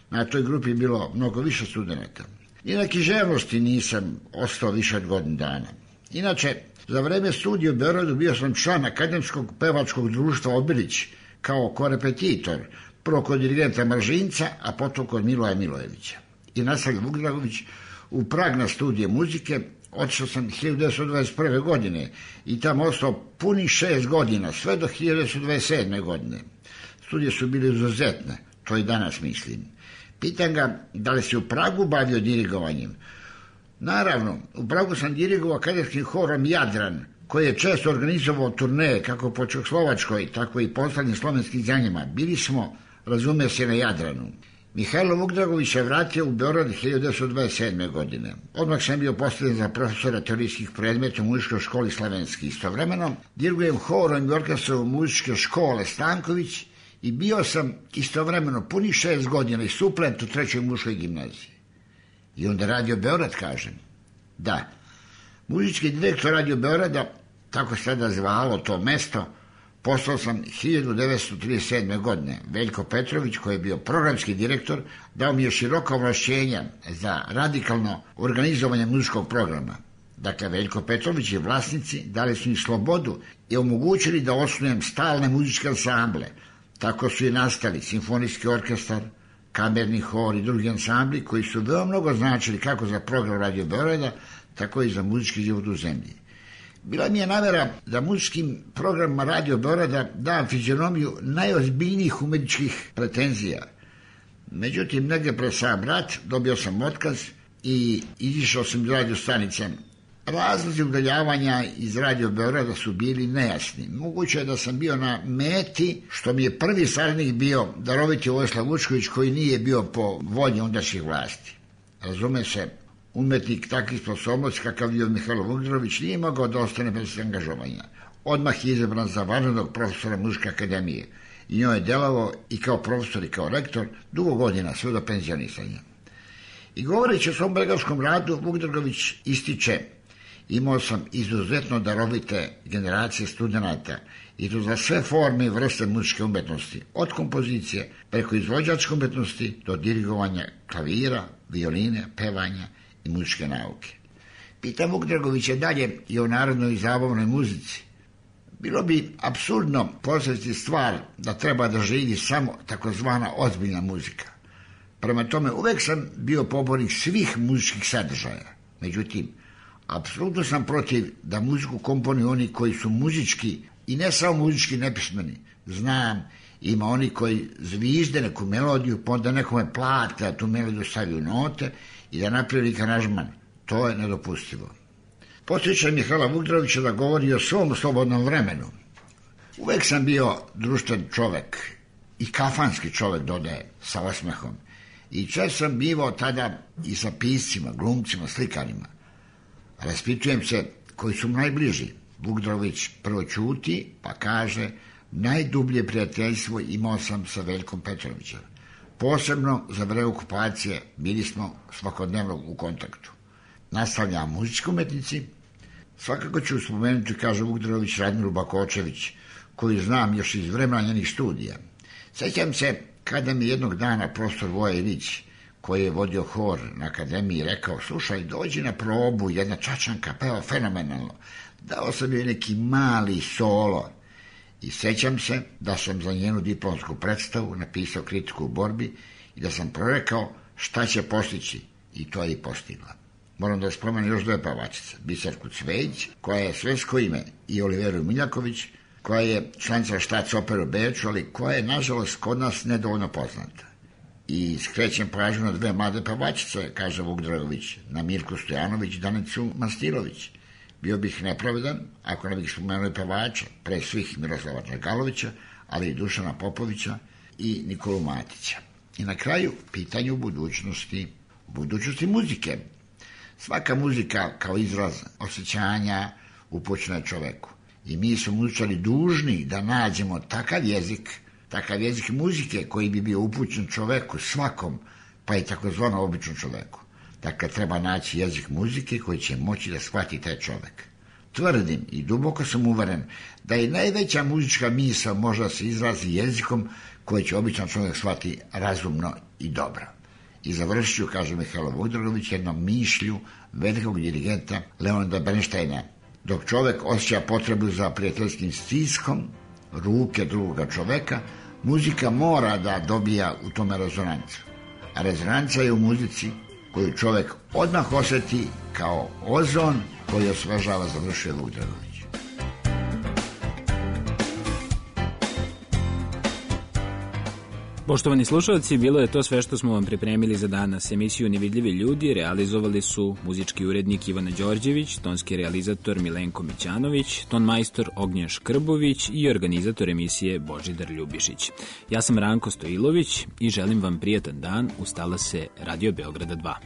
Na toj grupi je bilo mnogo više studenta. I na književnosti nisam ostao više od godinu dana. Inače, za vreme studija u Beogradu bio sam član Akademskog pevačkog društva Obilić kao korepetitor, prvo kod dirigenta Mržinca, a potom kod Miloja Milojevića. I nastavio Vuk Dragović u Prag na studije muzike. Otišao sam hiljadu devetsto dvadeset prve. godine i tamo ostao puni šest godina, sve do hiljadu devetsto dvadeset sedme. godine. Studije su bile izuzetne, to i danas mislim. Pitam ga da li se u Pragu bavio dirigovanjem. Naravno, u Pragu sam dirigovao akademskim horom Jadran, koji je često organizovao turneje kako po Čehoslovačkoj, tako i po ostalim slovenskim zemljama. Bili smo, razume se, na Jadranu. Mihajlo Vuk Dragović se vratio u Beograd hiljadu devetsto dvadeset sedme. godine. Odmah sam bio postavljen za profesora teorijskih predmeta u muzičkoj školi Slavenski. Istovremeno dirigujem horom i orkestrom muzičke škole Stanković i bio sam istovremeno punih šest godina i suplent u trećoj muškoj gimnaziji. I onda Radio Beograd, kažem. Da, muzički direktor Radio Beograda, tako se tada zvalo to mesto, postao sam hiljadu devetsto trideset sedme. godine. Veljko Petrović, koji je bio programski direktor, dao mi je široka ovlašćenja za radikalno organizovanje muzičkog programa. Dakle, Veljko Petrović i vlasnici dali su mi slobodu i omogućili da osnujem stalne muzičke ansamble. Tako su i nastali simfonijski orkestar, kamerni hor i drugi ansambli koji su veoma mnogo značili kako za program Radio Beograda, tako i za muzički život u zemlji. Bila mi je namera da muzičkim programima Radio Beograda dam fizionomiju najozbiljnijih umetničkih pretenzija. Međutim, negdje pred sam rat dobio sam otkaz i izišao sam iz radio stanice. Razlozi udaljavanja iz Radio Beograda su bili nejasni. Moguće je da sam bio na meti, što mi je prvi saradnik bio daroviti Vojislav Vučković, koji nije bio po volji ondašnjih vlasti. Razume se, umetnik takvih sposobnosti kakav bio Mihajlo Vuk Dragović nije mogao da ostane bez angažovanja. Odmah je izabran za vanrednog profesora Muzičke akademije i njoj je delovao i kao profesor i kao rektor dugo godina, sve do penzionisanja. I govoreći o svom beogradskom radu, Vuk Dragović ističe: imao sam izuzetno darovite generacije studenata i to za sve forme i vrste muzičke umetnosti, od kompozicije preko izvođačke umetnosti do dirigovanja klavira, violine, pevanja i muzičke nauke. Pitam Vuk Dragovića dalje i o narodnoj i zabavnoj muzici. Bilo bi apsurdno postaviti stvar da treba da živi samo takozvana ozbiljna muzika. Prema tome, uvek sam bio pobornik svih muzičkih sadržaja. Međutim, apsolutno sam protiv da muziku komponuju oni koji su muzički i ne samo muzički nepismeni. Znam, ima oni koji zvizde neku melodiju, pa onda nekome plate da tu melodiju stavi u note i da napravi aranžman. To je nedopustivo. Podsjećam Mihajla Vuk Dragovića da govori o svom slobodnom vremenu. Uvek sam bio društven čovek i kafanski čovek, dodaje sa osmehom. I često sam bivao tada i sa piscima, glumcima, slikarima. Raspitujem se koji su mu najbliži. Vuk Dragović prvo ćuti, pa kaže: najdublje prijateljstvo imao sam sa Veljkom Petrovićem. Posebno za vreme okupacije bili smo svakodnevno u kontaktu. Nastavlja muzički umetnici. Svakako ću spomenuti, kaže Vuk Dragović, Radmilu Bakočević, koju znam još iz vremena njenih studija. Sjećam se kada mi jednog dana profesor Voja Ilić, koji je vodio hor na akademiji, rekao: slušaj, dođi na probu, jedna čačanka peva fenomenalno. Dao sam joj neki mali solo. I sjećam se da sam za njenu diplomsku predstavu napisao kritiku u borbi i da sam prorekao šta će postići, i to je i postigla. Moram da spomenem još dve pevačice: Biserku Cvejić, koja je svetsko ime, i Oliveru Miljaković, koja je članica Štac opere u Beču, ali koja je, nažalost, kod nas nedovoljno poznata. I skrećem pažnju na dve mlade pevačice, kaže Vuk Dragović, na Mirku Stojanović i Danicu Mastilović. Bio bih nepravedan ako ne bih spomenuo pevača, pre svih Miroslava Dragalovića, ali i Dušana Popovića i Nikolu Matića. I na kraju, pitanje u budućnosti, budućnosti muzike. Svaka muzika kao izraz osjećanja upućena čoveku. I mi smo muzičari dužni da nađemo takav jezik takav jezik muzike koji bi bio upućen čoveku, svakom, pa i takozvano običnom čoveku. Dakle, treba naći jezik muzike koji će moći da shvati taj čovek. Tvrdim i duboko sam uveren da i najveća muzička misao može da se izrazi jezikom koji će običan čovjek shvati razumno i dobro. I završit ću, kaže Mihajlo Vudrogović, jednom mišlju velikog dirigenta Leonida Bernsteina. Dok čovjek osjeća potrebu za prijateljskim stiskom ruke drugoga čoveka, muzika mora da dobija u tome rezonancu. A rezonanca je u muzici koju čovjek odmah osjeti kao ozon koji osvežava, završio Vudrogović. Poštovani slušalci, bilo je to sve što smo vam pripremili za danas. Emisiju Nevidljivi ljudi realizovali su muzički urednik Ivana Đorđević, tonski realizator Milenko Mićanović, ton majstor Ognjen Škrbović i organizator emisije Božidar Ljubišić. Ja sam Ranko Stojilović i želim vam prijatan dan uz talase Radio Beograda dva.